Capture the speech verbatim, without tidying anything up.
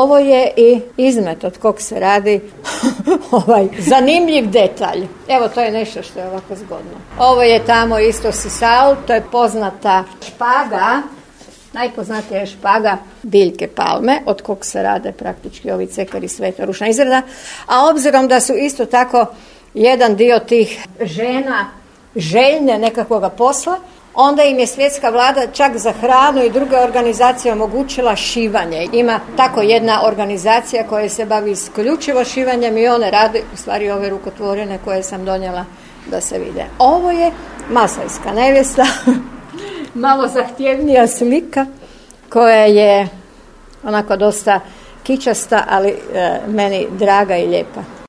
Ovo je i izmet od kog se radi ovaj zanimljiv detalj. Evo, to je nešto što je ovako zgodno. Ovo je tamo isto sisal, to je poznata špaga, najpoznatija je špaga biljke palme, od kog se rade praktički ovi cekari, sveta ručna izrada. A obzirom da su isto tako jedan dio tih žena željne nekakvoga posla, onda im je svjetska vlada čak za hranu i druge organizacije omogućila šivanje. Ima tako jedna organizacija koja se bavi isključivo šivanjem i one rade u stvari ove rukotvorine koje sam donijela da se vide. Ovo je masajska nevjesta, malo zahtjevnija slika koja je onako dosta kičasta, ali e, meni draga i lijepa.